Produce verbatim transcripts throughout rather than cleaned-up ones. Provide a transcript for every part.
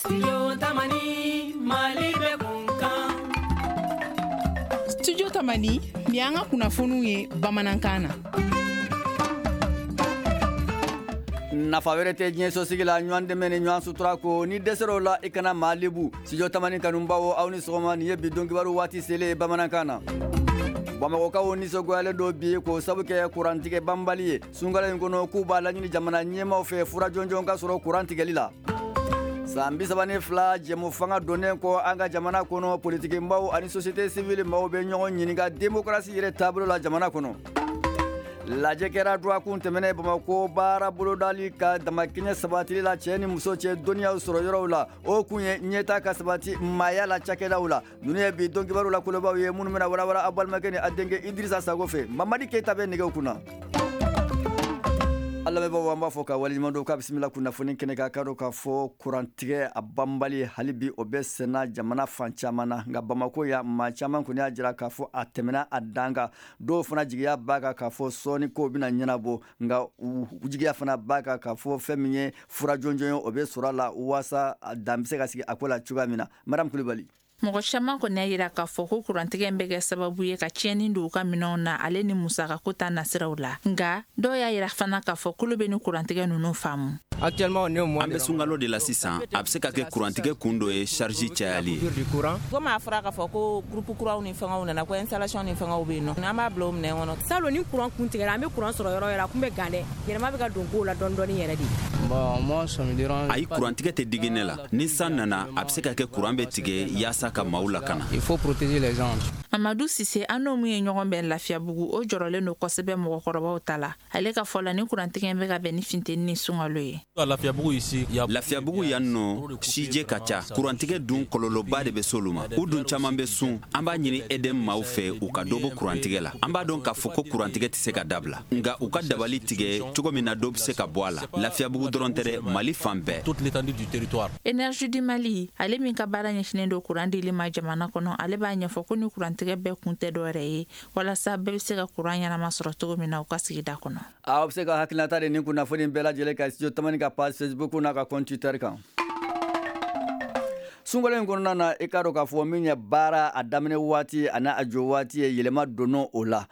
Studio Tamani, Mali bɛ kun kan. Studio Tamani, nin y'an ka kunnafoniw ye bamanankan na. Nafa wɛrɛ tɛ diɲɛ sosigi la ɲɔgɔn dɛmɛ ni ɲɔgɔn sutura ko ni dɛsɛr'o la i kana maa lebu. Studio Tamani kanubaw, aw ni sɔgɔma. Nin ye bi don kibaru waati selen ye bamanankan na. Bamakɔkaw nisɔngoyalen don bi k'o sabu kɛ kurantigɛ banbali ye sunkalo in kɔnɔ, k'u b'a laɲini jamana ɲɛmaaw fɛ fura jɔnjɔn ka sɔrɔ kuran tigɛli la. San bi saba ni fila jɛmu fanga donnen kɔ an ka jamana kɔnɔ, politikimaw ani société civile maaw bɛ ɲɔgɔn ɲininka démocratie yɛrɛ taabolo la jamana kɔnɔ. Lajɛ kɛra dɔgɔkun tɛmɛnen Bamakɔ baara bolodali ka damakɛɲɛ sabatili la cɛ ni muso cɛ dɔnniyaw sɔrɔ yɔrɔw la. O kun ye ɲɛta ka sabati maaya la cakɛdaw la. Ninnu ye bi don kibaru la kolobaw ye minnu bɛna walawala aw balimakɛ ni a denkɛ Idirisa Sago fɛ. Mamadi Keyita bɛ nɛgɛw kunna. An lamɛnbaaw, an b'a fɔ ka waleɲuman dɔn k'a bisimila kunnafoni kɛnɛ kan. K'a dɔn k'a fɔ kurantigɛ a banbali hali bi o bɛ senna jamana fan caman na, nka Bamakɔ yan, maa caman kɔni y'a jira k'a fɔ a tɛmɛna a dan kan. Dɔw fana jigiya b'a kan k'a fɔ sɔɔni kow bɛna ɲɛnabɔ, nka u jigiya fana b'a kan k'a fɔ fɛn min ye fura jɔnjɔn ye, o bɛ sɔrɔ a la waasa dan bɛ se ka sigi a ko la cogoya min na. Madame Kulibali. Mɔgɔ caman kɔni y'a yira k'a fɔ ko kurantigɛ in bɛ kɛ sababu ye ka tiɲɛni don u ka minɛnw na, ale ni musakako ta nasiraw la. Nka dɔw y'a yira fana k'a fɔ k'olu bɛ ni kurantigɛ ninnu faamu. An bɛ sunkalo de la sisan. A bɛ se ka kɛ kurantigɛ kun dɔ ye charge cayali ye. Komi a fɔra k'a fɔ ko groupe kuraw ni fɛngɛw nana, ko installation ni fɛngɛw bɛ yen nɔ, an b'a bila o minɛn kɔnɔ. Salon ni kuran kun tigɛra, an bɛ kuran sɔrɔ yɔrɔ yɔrɔ, a kun bɛ gan dɛ. Yɛlɛma bɛ ka don kow la dɔɔni dɔɔni yɛrɛ de. Ayi, kurantigɛ tɛ digi ne la. Ni san nana, a bɛ se ka kɛ kuran bɛ tigɛ yaasa ka maaw lakana. Il faut protéger les gens. Mamadu Sise, an n'o min ye ɲɔgɔn bɛn Lafiyabugu, o jɔrɔlen don kosɛbɛ mɔgɔkɔrɔbaw ta la. Ale ka fɔ la, ni kurantigɛ in bɛ ka bɛn ni funteni ni sunkalo ye. Lafiyabugu yan nɔ, sijɛ ka ca. Kurantigɛ dun kɔlɔlɔba de bɛ s'olu ma, u dun caman bɛ sun. An b'a ɲini E D M maaw fɛ, u ka dɔ bɔ kurantigɛ la. An b'a dɔn k'a fɔ ko kurantigɛ tɛ se ka dabila, nka u ka dabali tigɛ cogo min na dɔ bɛ se ka bɔ a la. Lafiyabugu dɔrɔn tɛ dɛ, Mali fan bɛɛ. Énergie du Mali, ale min ka baara ɲɛsinnen don kuran dili ma jamana kɔnɔ, ale b'a ɲɛfɔ ko ni kurantigɛ bɛɛ kun tɛ dɔwɛrɛ ye walasa bɛɛ bɛ se ka kuran ɲɛnama sɔrɔ cogo min na u ka sigida kɔnɔ. Aw bɛ se ka hakilinata de nin kunnafoni bɛɛ lajɛlen kan Studio Tamani ka page Facebook n'a ka compte Twitter kan. Sunkalo in kɔnɔna na, i k'a dɔn k'a fɔ min ye baara a daminɛ waati ani a jɔ waati ye, yɛlɛma donna o la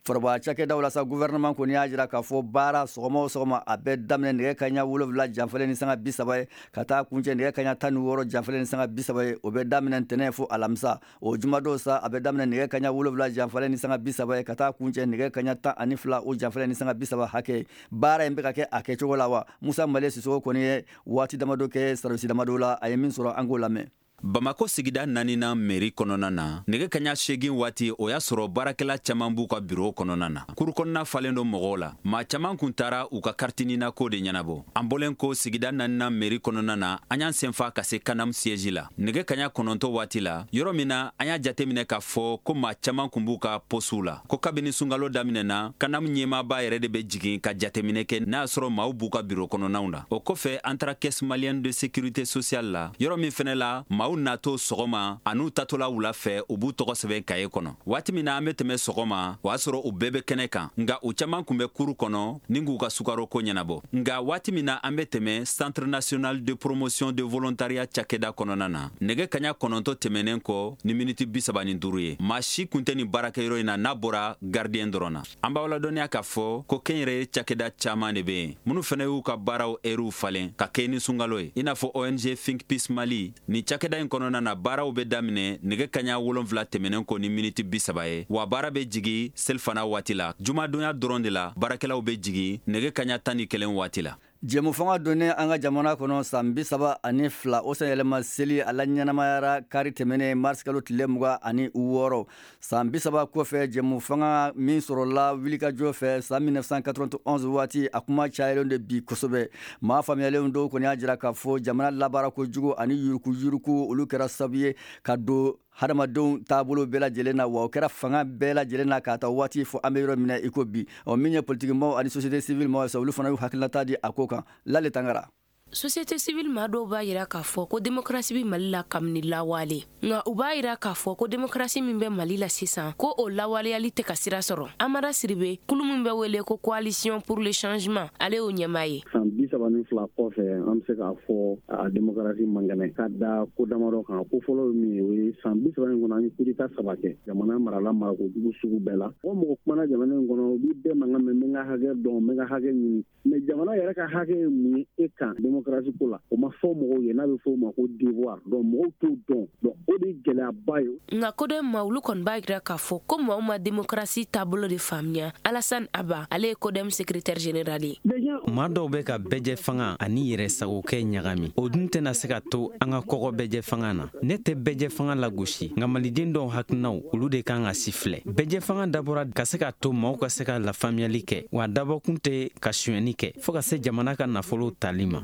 foroba cakɛdaw la sa. Gouvernement kɔni y'a jira k'a fɔ baara sɔgɔma o sɔgɔma, a bɛ daminɛ nɛgɛ kaɲa wolonwula janfalen ni sanga bi saba ye ka taa kuncɛ nɛgɛ kaɲa tan ni wɔɔrɔ janfalen ni sanga bi saba ye. O bɛ daminɛ ntɛnɛn fo alamisa. O jumadon sa, a bɛ daminɛ nɛgɛ kaɲa wolonwula janfalen ni sanga bi saba ye ka taa kuncɛ nɛgɛ kaɲa tan ani fila o janfalen ni sanga bi saba hakɛ. Baara in bɛ ka kɛ a kɛcogo la wa? Musa Male Sisoko kɔni ye waati damadɔ kɛ service damadɔ la. A ye min sɔrɔ, an k'o lamɛn. Bamako sigida naaninan mairie kɔnɔna na, nɛgɛ kaɲa seegin waati, o y'a sɔrɔ baarakɛla caaman b'u ka biro kɔnɔna na. Kuru kɔnɔna falen don mɔgɔw la. Maa caaman kun taara u ka carte NINA ko de ɲɛnabɔ. An bɔlen ko sigida naaninan mairie kɔnɔna na, an y'an senfa ka se CANAM siège la nɛgɛ kaɲa kɔnɔntɔ waati la, yɔrɔ min na an y'a jateminɛ k'a fɔ ko maa caaman kun b'u ka postew la. Ko kabini sunkalo daminɛna, CANAM ɲɛmaaba yɛrɛ de bɛ jigin ka jateminɛ kɛ n'a y'a sɔrɔ maaw b'u ka biro kɔnɔnaw na. O kɔfɛ, an taara Caisse malienne de sécurité sociale la, yɔrɔ min fɛnɛ la maaw natɔ sɔgɔma an'u tatɔla wula fɛ, u b'u tɔgɔ sɛbɛn kaye kɔnɔ. Waati min na an bɛ tɛmɛ sɔgɔma, o y'a sɔrɔ u bɛɛ bɛ kɛnɛ kan, nka u caaman kun bɛ kuru kɔnɔ ni k'u ka sukaro ko ɲɛnabɔ. Nka waati min na an bɛ tɛmɛ Centre national de promotion de volontariat cakɛda kɔnɔna na nɛgɛ kaɲa kɔnɔntɔ tɛmɛnen kɔ ni miniti bi saba ni duuru ye, maa si kun tɛ nin baarakɛyɔrɔ in na n'a bɔra gardien dɔrɔn na. An b'aw ladɔnniya k'a fɔ ko kɛnyɛrɛye cakɛda caaman de bɛ yen minnu fɛnɛ y'u ka baaraw ɛriw falen ka kɛ ni sunkalo ye, i n'a fɔ O N G Think Peace Mali. Nin cakɛda in kɔnɔna na, baaraw bɛ daminɛ nɛgɛ kaɲa wolonfila tɛmɛnen kɔ ni miniti bi saba ye, wa baara bɛ jigi selifana waati la. Jumadonya dɔrɔn de la baarakɛlaw bɛ jigi nɛgɛ kaɲa tan ni kelen waati la. Jɛmu fanga donnen an ka jamana kɔnɔ san bi saba ani fila, o sanyɛlɛma seli a la ɲɛnamayara kari tɛmɛnen marisi kalo tile mugan ani wɔɔrɔ. San bi saba kɔfɛ, jɛmu fanga min sɔrɔla wulikajɔ fɛ san mille neuf cent quatre-vingt-onze waati, a kuma cayalen de bi kosɛbɛ. Maa faamuyalenw dɔw kɔni y'a jira k'a fɔ jamana labaara kojugu ani yuruku yuruku, olu kɛra sababu ye ka don hadamadenw taabolo bɛɛ lajɛlen na, wa o kɛra fanga bɛɛ lajɛlen na k'a ta waati fɔ an bɛ yɔrɔ min na i ko bi. Ɔ, min ye politiki maaw ani société civile maaw ye sa, olu fana y'u hakilinata di a ko kan. Lale Tangara. Société civile maa dɔw b'a yira k'a fɔ ko démocratie bɛ Mali la kabini lawale, nka u b'a yira k'a fɔ ko démocratie min bɛ Mali la sisan, ko o lawaleyali tɛ ka sira sɔrɔ. Amara Siribe, kulu min bɛ wele ko Coalition pour le changement, ale y'o ɲɛmaa ye. San bi saba ni fila kɔfɛ, an bɛ se k'a fɔ a démocratie man kɛnɛ ka da ko damadɔ kan. Ko fɔlɔ ye min ye, o ye san bi saba in kɔnɔ an ye coup d'état saba kɛ jamana marala marakojugu sugu bɛɛ la. Mɔgɔ mɔgɔ kumana jamana in kɔnɔ, u b'i bɛɛ mankan mɛn, n bɛ n ka hakɛ dɔn, n bɛ n ka hakɛ ɲini, mais jamana yɛrɛ ka hakɛ ye mun ye e kan démocratie ko la, o ma fɔ mɔgɔw ye, n'a bɛ fɔ o ma ko devoir. Donc mɔgɔw t'o dɔn, donc o de ye gɛlɛyaba ye. Nka CODEM ma, olu kɔni b'a jira k'a fɔ ko maaw ma démocratie taabolo de faamuya. Alassane Aba, ale ye CODEM secrétaire général ye. Maa dɔw bɛ ka bɛɛjɛ fanga ani yɛrɛ sagokɛ ɲagami, o dun tɛna se ka to an ka kɔgɔ bɛɛjɛ fanga na. Ne tɛ bɛɛjɛ fanga lagosi, nka maliden dɔw hakilinaw, olu de kan ka si filɛ. Bɛɛjɛ fanga dabɔra ka se ka to maaw ka se ka lafaamuyali kɛ, wa dabɔkun tɛ ka sonyɛni kɛ fɔɔ ka se jamana ka nafolo tali ma.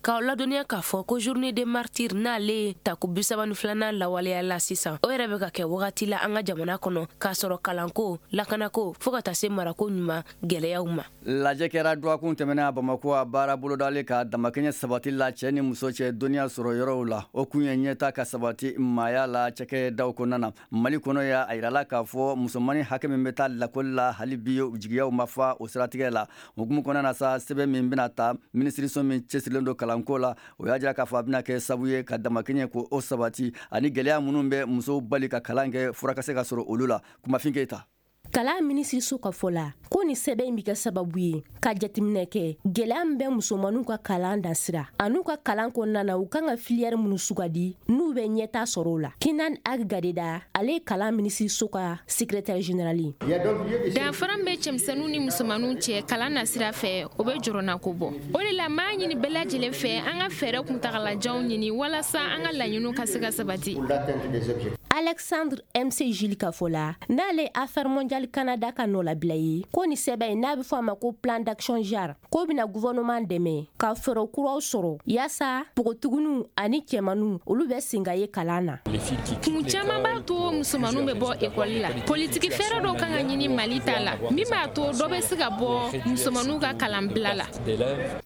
K'aw ladɔnniya k'a fɔ ko journée des martyrs n'ale ye tako bi saba ni filanan lawaleya la sisan, o yɛrɛ bɛ ka kɛ wagati la an ka jamana kɔnɔ k'a sɔrɔ kalanko, lakanako, fɔɔ ka taa se marako ɲuman gɛlɛyaw ma. Lajɛ kɛra dɔgɔkun tɛmɛnen a Bamakɔ, a baara bolodalen ka damakɛɲɛ sabati la cɛ ni muso cɛ dɔnniya sɔrɔ yɔrɔw la. O kun ye ɲɛta ka sabati maaya la cakɛdaw kɔnɔna na Mali kɔnɔ. Ya a yirala k'a fɔ musomannin hakɛ min bɛ taa lakɔli la, hali bi jigiyaw ma fa o siratigɛ la. O hukumu kɔnɔna na sa, sɛbɛn min bɛna ta minisiriso min cɛsirilen don kalanko la, o y'a jira k'a fɔ a bɛna kɛ sababu ye ka damakɛɲɛ ko o sabati, ani gɛlɛya minnu bɛ musow bali ka kalan kɛ, fura ka se ka sɔrɔ olu la. Kumafin Keyita. Kalan minisiriso ka fɔ la ko ni sɛbɛn in bɛ kɛ sababu ye ka jateminɛ kɛ gɛlɛya min bɛ musomaninw ka kalan dasira an'u ka kalan kɔnɔna na, u kan ka filière minnu sugandi n'u bɛ ɲɛta sɔrɔ o la. Kinan Ag Gadeda, ale ye kalan minisiriso ka secrétaire général ye. Danfara min bɛ cɛmisɛnninw ni musomaninw cɛ kalan nasira fɛ, o bɛ jɔrɔnako bɔ. O de la, m'a ɲini bɛɛ lajɛlen fɛ an ka fɛɛrɛ kuntagalajanw ɲini walasa an ka laɲiniw ka se ka sabati. Alexandre M C Gilles ka fɔ la, n'ale ye Affaires mondiales Canada ka nɔlabila ye, ko ni sɛbɛn in n'a bɛ fɔ a ma ko plan d'action genre, k'o bɛna gouvernement dɛmɛ ka fɛɛrɛ kuraw sɔrɔ yaasa npogotigininw ani cɛmaninw, olu bɛ sen ka ye kalan na. Kun caman b'a to musomaninw bɛ bɔ ekɔli la. Politiki fɛɛrɛ dɔw kan ka ɲini Mali ta la min b'a to dɔ bɛ se ka bɔ musomaninw ka kalanbila la.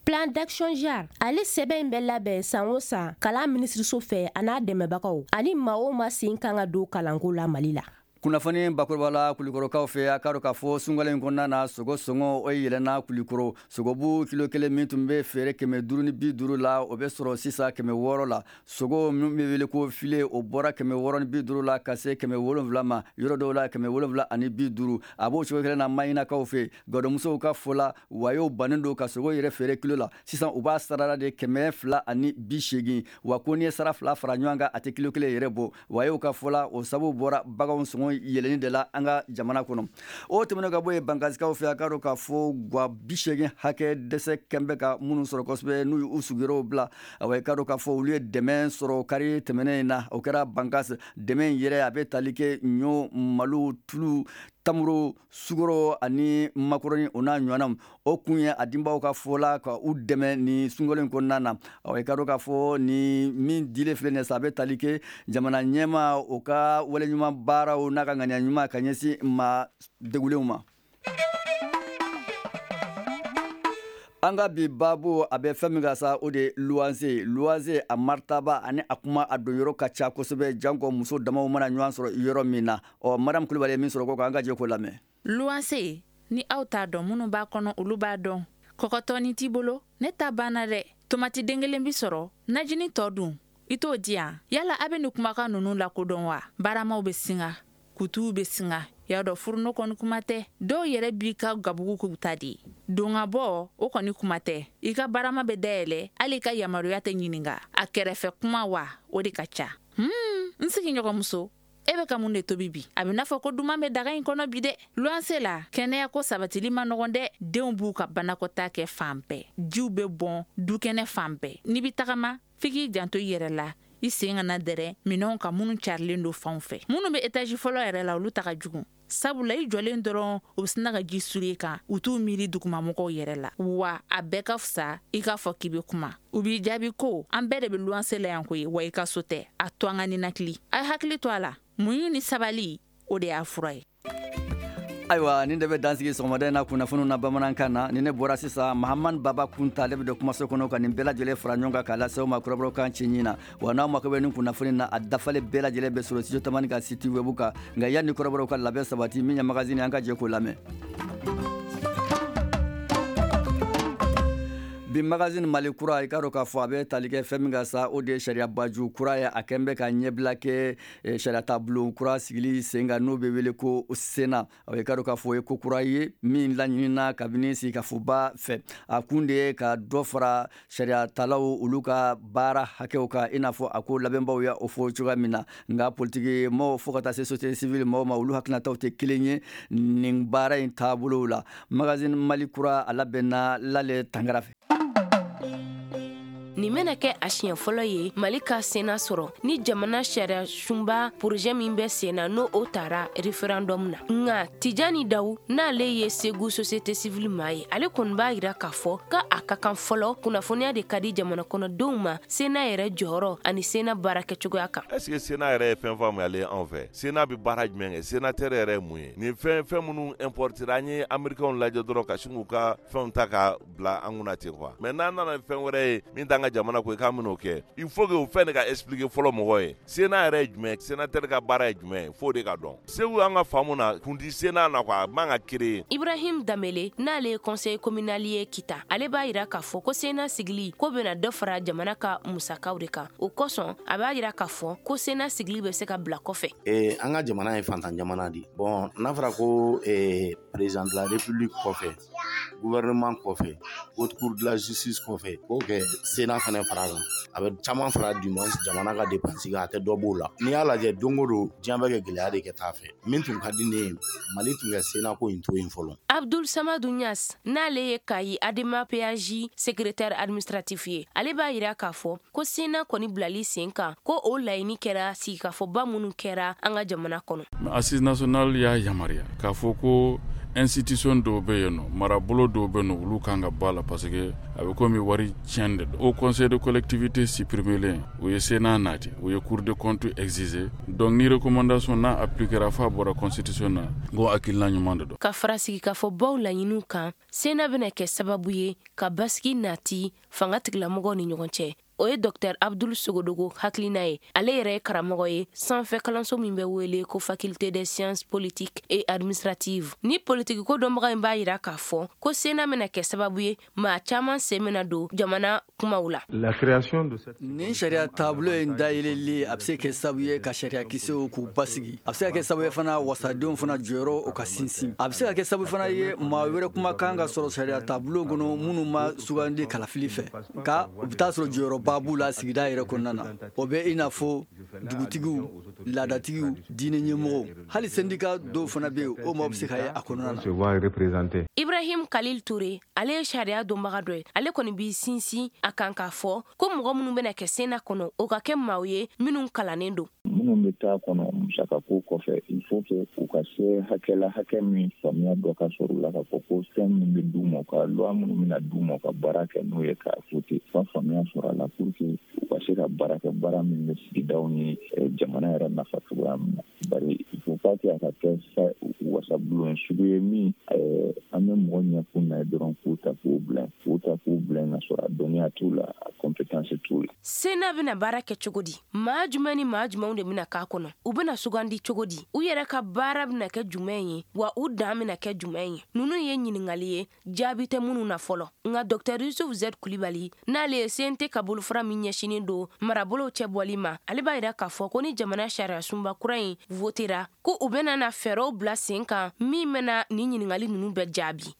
Plan d'action genre, ale sɛbɛn in bɛ labɛn san o san kalan minisiriso fɛ a n'a dɛmɛbagaw ani maa o maa sen kan ka don kalanko la Mali la. Kunnafoni bakuruba la, Kulikɔrɔkaw fɛ, a k'a dɔn k'a fɔ sunkalo in kɔnɔna na, sogo sɔngɔ o yɛlɛnna Kulikɔrɔ. Sogobu kilo kelen min tun bɛ feere kɛmɛ duuru ni bi duuru la, o bɛ sɔrɔ sisan kɛmɛ wɔɔrɔ la. Sogo min bɛ wele ko filet, o bɔra kɛmɛ wɔɔrɔ ni bi duuru la ka se kɛmɛ wolonwula ma, yɔrɔ dɔw la kɛmɛ wolonwula ani bi duuru. A b'o cogo kelen na Maɲinakaw fɛ. Gadɔmusow ka fɔ la, wayew bannen don ka sogo yɛrɛ feere kilo la sisan, u b'a sarala de kɛmɛ fila ani bi seegin, wa ko n'i ye sara fila fara ɲɔgɔn kan, a tɛ kilo kelen yɛrɛ bɔ. Wayew ka fɔ la, o sababu bɔra baganw sɔngɔ yɛlɛnni de la an ka jamana kɔnɔ. O tɛmɛnen ka bɔ yen, Bankasikaw fɛ, a k'a dɔn k'a fɔ gwa bi seegin hakɛ dɛsɛ kɛn bɛ ka minnu sɔrɔ kosɛbɛ, n'u y'u sigiyɔrɔw bila, awa, i k'a dɔn k'a fɔ olu ye dɛmɛ sɔrɔ kari tɛmɛnen in na. O kɛra Bankas. Dɛmɛ in yɛrɛ, a bɛ tali kɛ ɲɔ, malo, tulu, tamaro, sukaro ani makɔrɔni, o n'a ɲɔgɔnnaw. O kun ye a denbaw ka fɔ la ka u dɛmɛ ni sunkalo in kɔnɔna na. Awa, i k'a dɔn k'a fɔ ni min dilen filɛ nin ye sa, a bɛ tali kɛ jamana ɲɛmaa o ka waleɲuman baaraw n'a ka ŋaniya ɲuman ka ɲɛsin maa degulenw ma. An ka bi baabu, a bɛ fɛn min kan sa, o de ye luwanse. Luwanse a maritaba ani a kuma a don yɔrɔ ka ca kosɛbɛ, janko muso damaw mana ɲɔgɔn sɔrɔ yɔrɔ min na. Ɔ, Mariam Kulibali ye min sɔrɔ ko kan, an ka jɛ k'o lamɛn. Luwanse, ni aw t'a dɔn, minnu b'a kɔnɔ, olu b'a dɔn. Kɔkɔtɔni t'i bolo, ne ta banna dɛ. Tomati den kelen bi sɔrɔ, najini tɔ dun, i t'o di yan. Yala a bɛ nin kumakan ninnu lakodɔn wa? Baramaw bɛ singa, kutuw bɛ singa, y'a dɔn furuno kɔni kuma tɛ. Dɔw yɛrɛ b'i ka gabugu k'u ta de don ka bɔ, o kɔni kuma tɛ. I ka barama bɛ dayɛlɛ, hali i ka yamaruya tɛ ɲininka. A kɛrɛfɛ kuma wa, o de ka ca. Hmm, n sigiɲɔgɔnmuso, e bɛ ka mun de tobi bi? A bɛ n'a fɔ ko duman bɛ daga in kɔnɔ bi dɛ. Luwanse la, kɛnɛya ko sabatili ma nɔgɔn dɛ. Denw b'u ka banakɔtaa kɛ fan bɛɛ, jiw bɛ bɔn dukɛnɛ fan bɛɛ. N'i bɛ tagama, f'i k'i janto i yɛrɛ la, i sen kana dɛrɛ minɛnw ka minnu carilen don fanw fɛ. Minnu bɛ étage fɔlɔ yɛrɛ la, olu ta ka jugu, sabula i jɔlen dɔrɔn, u bɛ sina ka ji suru kan. U t'u miiri dugumamɔgɔw yɛrɛ la wa. A bɛɛ ka fisa i k'a fɔ k'i bɛ kuma, u b'i jaabi ko an bɛɛ de bɛ luwanse la yan koyi, wa i ka so tɛ. A to an ka ninakili, a ye hakili to a la. Muɲu ni sabali, o de y'a fura ye. Ayiwa, nin de bɛ dansigi sɔgɔmada in na kunnafoniw na bamanankan na. Ni ne bɔra sisan, Mahamani Baba Kunta, ale bɛ don kumaso kɔnɔ ka nin bɛɛ lajɛlen fara ɲɔgɔn kan k'a lase aw ma kɔrɔbɔrɔkan cɛɲi na. Wa n'aw mako bɛ nin kunnafoni na, a dafalen bɛɛ lajɛlen bɛ sɔrɔ Studio Tamani ka site web kan. Nka yanni kɔrɔbɔrɔw ka labɛn sabati min ye magazine, an ka jɛ k'o lamɛn. Bi magazine Mali kura, i k'a dɔn k'a fɔ a bɛ tali kɛ fɛn min kan sa, o de ye sariya baju kura ye. A kɛn bɛ ka ɲɛbila kɛ sariya taabolo kura sigili sen kan, n'o bɛ wele ko Sénat. I k'a dɔn k'a fɔ o ye ko kura ye min laɲinina kabini sigikafoba fɛ. A kun de ye ka dɔ fara sariya talaw olu ka baara hakɛw kan, i n'a fɔ a ko labɛnbaw ya o fɔ cogoya min na. Nka politiki maaw fo ka taa se société civile maaw ma, olu hakilinataw tɛ kelen ye nin baara in taabolow la. Magazine Mali kura, a labɛnna Lale Tangara fɛ. Nin bɛna kɛ a siɲɛ fɔlɔ ye Mali ka Sénat sɔrɔ ni jamana sariya sunba projet min bɛ sen na, n'o o tara référendum na. Nka Tijani Dawu, n'ale ye Segu société civile maa ye, ale kɔni b'a yira k'a fɔ ka a ka kan fɔlɔ kunnafoniya de ka di jamana kɔnɔdenw ma Sénat yɛrɛ jɔyɔrɔ ani Sénat baara kɛcogoya kan. Est ce que Sénat yɛrɛ ye fɛn faamuyalen anw fɛ? Sénat bɛ baara jumɛn kɛ? Sénateur yɛrɛ ye mun ye? Nin fɛn fɛn minnu importer, an ye américains lajɛ dɔrɔn ka sin k'u ka fɛnw ta ka bila an kunna ten quoi. Mais n'an nana fɛn wɛrɛ ye min t'an ka jamana ko, i k'an bɛn'o kɛ, il faut que o fɛn de ka expliquer fɔlɔ mɔgɔ ye. Sénat yɛrɛ ye jumɛn? Sénateur ka baara ye jumɛn ye? F'o de ka dɔn. Segu, an ka faamu na, kun ti Sénat na quoi, a man ka créer. Ibrahim Damele, n'ale ye conseil communal ye Kita, ale b'a yira k'a fɔ ko Sénat sigili ko bɛna dɔ fara jamana ka musakaw de kan. O kosɔn, a b'a yira k'a fɔ ko Sénat sigili bɛ se ka bila kɔfɛ. Ee, an ka jamana ye fantan jamana de. Bon, n'a fɔra ko ee, président de la république kɔfɛ, gouvernement kɔfɛ, haute cour de la justice kɔfɛ, k'o kɛ Sénat fana fara kan, a bɛ caman fara du moins jamana ka dépense kan, a tɛ dɔ b'o la. N'i y'a lajɛ, don o don diɲɛ bɛ kɛ gɛlɛya de kɛ taa fɛ. Min tun ka di ne ye, Mali tun kɛ Sénat ko in to yen fɔlɔ. Abdul Samadu Niass, n'ale ye Kayi Adema P A J secrétaire administratif ye, ale b'a yira k'a fɔ ko Sénat kɔni bilali sen kan, ko o laɲini kɛra sigikafɔba minnu kɛra an ka jamana kɔnɔ. Assise nationale y'a yamaruya k'a fɔ ko institution dɔw bɛ yen nɔ, marabolo dɔw bɛ yen nɔ, olu kan ka bɔ a la, parce que a bɛ komi wari tiɲɛ de don. Au conseil de collectivité supprimé len, u ye Sénat nati, u ye cour de compte exiger. Donc ni recommandation n'a appliquera f'a bɔra constitution na, n ko hakilina ɲuman de don. Ka fara sigikafɔbaw laɲiniw kan, Sénat bɛna kɛ sababu ye ka basigi nati fanga tigilamɔgɔw ni ɲɔgɔn cɛ. O ye Docteur Abdul Sogodogo hakilina ye. Ale yɛrɛ ye karamɔgɔ ye sanfɛ kalanso min bɛ wele ko faculté des sciences politiques et administratives. Ni politiki ko dɔnbaga in b'a yira k'a fɔ ko Sénat bɛna kɛ sababu ye maa caman sen bɛna don jamana kumaw la. Nin sariya taabolo in dayɛlɛli, a bɛ se kɛ sababu ye ka sariya kisɛw k'u basigi. A bɛ se ka kɛ sababu ye fana, wasadenw fana jɔyɔrɔ o ka sinsin. A bɛ se ka kɛ sababu fana ye, maa wɛrɛ kuma kan ka sɔrɔ sariya taabolo kɔnɔ minnu ma sugandi kalafili fɛ, nka u bɛ taa sɔrɔ jɔyɔrɔba b'u la sigida yɛrɛ kɔnɔna na. O bɛ i n'a fɔ dugutigiw, laadatigiw, diinɛ ɲɛmɔgɔw, hali syndicat dɔw fana bɛ yen, o maaw bɛ se ka ye a kɔnɔna na. Ibrahim Khalil Touré, ale ye sariya dɔnbaga dɔ ye. Ale kɔni b'i sinsin a kan k'a fɔ ko mɔgɔ minnu bɛna kɛ Sénat kɔnɔ, o ka kɛ maaw ye minnu kalannen don. Minnu bɛ taa kɔnɔ, musakako kɔfɛ, il faut que u ka se hakɛ la, hakɛ min faamuya dɔ ka sɔrɔ u la k'a fɔ ko fɛn min bɛ d'u ma, u ka loi minnu bɛna d'u ma, u ka baara kɛ n'o ye k'a voter, u ka faamuya sɔrɔ a la pour que u ka se ka baara kɛ, baara min bɛ sigidaw ni jamana yɛrɛ nafa cogoya min na. Bari il faut pas que a ka kɛ wasabulon sugu ye min an bɛ mɔgɔ ɲɛkun na ye dɔrɔn k'u ta k'u bila k'u ta k'u bila, ka sɔrɔ a dɔnniya t'u la, a compétence t'u la. Sénat bɛna baara kɛ cogo di? Maa jumɛn ni maa jumɛnw de bɛna k'a kɔnɔ? U bɛna sugandi cogo di? U yɛrɛ ka baara bɛna kɛ jumɛn ye? Wa u dan bɛna kɛ jumɛn ye? Ninnu ye ɲininkali ye, jaabi tɛ minnu na fɔlɔ. Nka Docteur Yusuf Z Kulibali, n'ale ye C N T ka bolofara min ɲɛsinin don marabolow cɛ bɔli ma, ale b'a yira k'a fɔ ko ni jamana sariya sunba kura in votera, ko u bɛna na fɛɛrɛw bila sen kan min bɛna nin ɲininkali ninnu bɛɛ jaabi.